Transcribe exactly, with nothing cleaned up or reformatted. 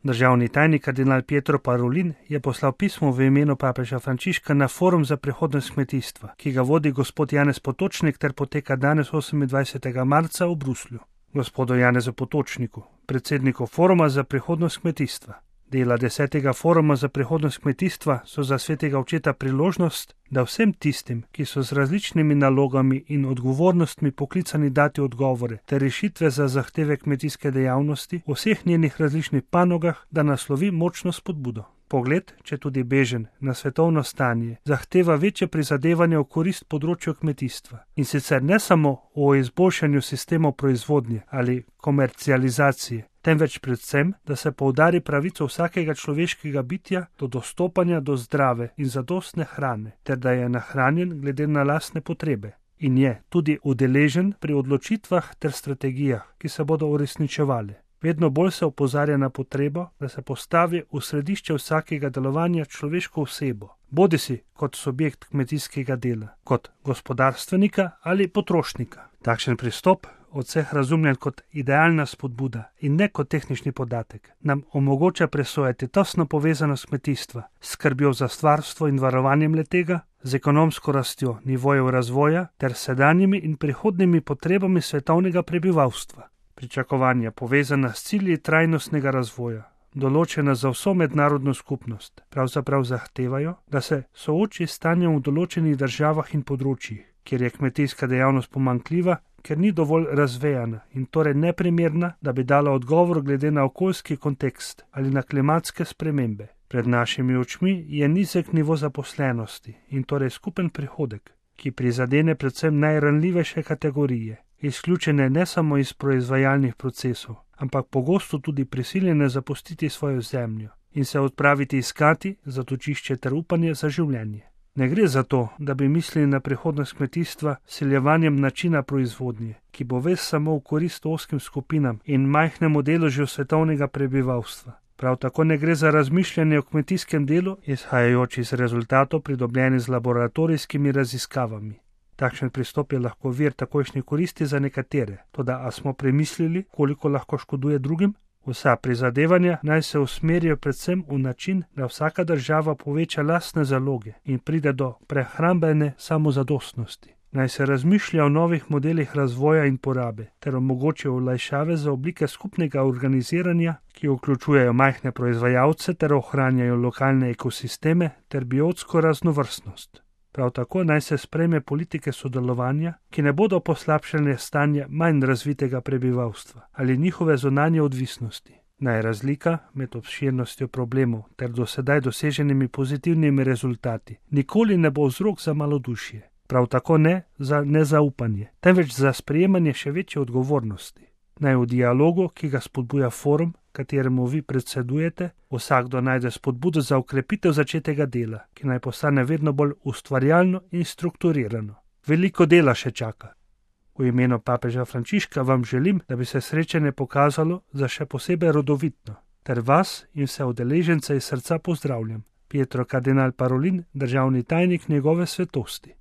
Državni tajnik kardinal Pietro Parolin je poslal pismo v imenu papeža Frančiška na Forum za prihodnost kmetijstva, ki ga vodi gospod Janez Potočnik ter poteka danes osemindvajsetega marca v Bruslju. Gospodu Janezu Potočniku, predsedniku Foruma za prihodnost kmetijstva. Dela desetega Foruma za prihodnost kmetijstva so za svetega očeta priložnost, da vsem tistim, ki so z različnimi nalogami in odgovornostmi poklicani dati odgovore ter rešitve za zahteve kmetijske dejavnosti v vseh njenih različnih panogah, da naslovi močno spodbudo. Pogled, če tudi bežen, na svetovno stanje zahteva večje prizadevanje v korist področju kmetijstva. In sicer ne samo o izboljšanju sistemov proizvodnje ali komercializacije, temveč predvsem, da se poudari pravico vsakega človeškega bitja do dostopanja do zdrave in zadostne hrane, ter da je nahranjen glede na lastne potrebe. In je tudi udeležen pri odločitvah ter strategijah, ki se bodo uresničevale. Vedno bolj se opozarja na potrebo, da se postavi v središče vsakega delovanja človeško osebo, bodisi kot subjekt kmetijskega dela, kot gospodarstvenika ali potrošnika. Takšen pristop, od vseh razumljen kot idealna spodbuda in ne kot tehnični podatek, nam omogoča presojati tesno povezanost kmetijstva s skrbjo za stvarstvo in varovanjem letega, z ekonomsko rastjo nivojev razvoja ter sedanjimi in prihodnjimi potrebami svetovnega prebivalstva. Pričakovanja povezana s cilji trajnostnega razvoja, določena za vso mednarodno skupnost, pravzaprav zahtevajo, da se sooči s stanjem v določenih državah in področjih, kjer je kmetijska dejavnost pomanjkljiva, ker ni dovolj razvejana in torej neprimerna, da bi dala odgovor glede na okoljski kontekst ali na klimatske spremembe. Pred našimi očmi je nizek nivo zaposlenosti in torej skupen prihodek, ki prizadene predvsem najranljivejše kategorije, izključene ne samo iz proizvajalnih procesov, ampak pogosto tudi prisiljene zapustiti svojo zemljo in se odpraviti iskati zatočišče ter upanje za življenje. Ne gre za to, da bi mislili na prihodnost kmetijstva s siljevanjem načina proizvodnje, ki bo ves samo v korist ozkim skupinam in majhnemu deležu svetovnega prebivalstva. Prav tako ne gre za razmišljanje o kmetijskem delu, izhajajoč iz rezultatov pridobljenih z laboratorijskimi raziskavami. Takšen pristop je lahko vir takojšnje koristi za nekatere, toda a smo premislili, koliko lahko škoduje drugim? Vsa prizadevanja naj se usmerijo predvsem v način, da vsaka država poveča lastne zaloge in pride do prehrambene samozadostnosti. Naj se razmišlja o novih modelih razvoja in porabe ter omogočijo olajšave za oblike skupnega organiziranja, ki vključujejo majhne proizvajalce ter ohranjajo lokalne ekosisteme ter biotsko raznovrstnost. Prav tako naj se sprejme politike sodelovanja, ki ne bodo poslabšale stanje manj razvitega prebivalstva ali njihove zunanje odvisnosti. Naj razlika med obširnostjo problemov ter do sedaj doseženimi pozitivnimi rezultati nikoli ne bo vzrok za malodušje, prav tako ne za nezaupanje, temveč za sprejemanje še večje odgovornosti. Naj v dialogu, ki ga spodbuja forum, kateremu vi predsedujete, vsakdo najde spodbudo za ukrepitev začetega dela, ki naj postane vedno bolj ustvarjalno in strukturirano. Veliko dela še čaka. V imenu papeža Frančiška vam želim, da bi se srečanje pokazalo za še posebej rodovitno, ter vas in vse udeležence iz srca pozdravljam. Pietro kardinal Parolin, državni tajnik njegove svetosti.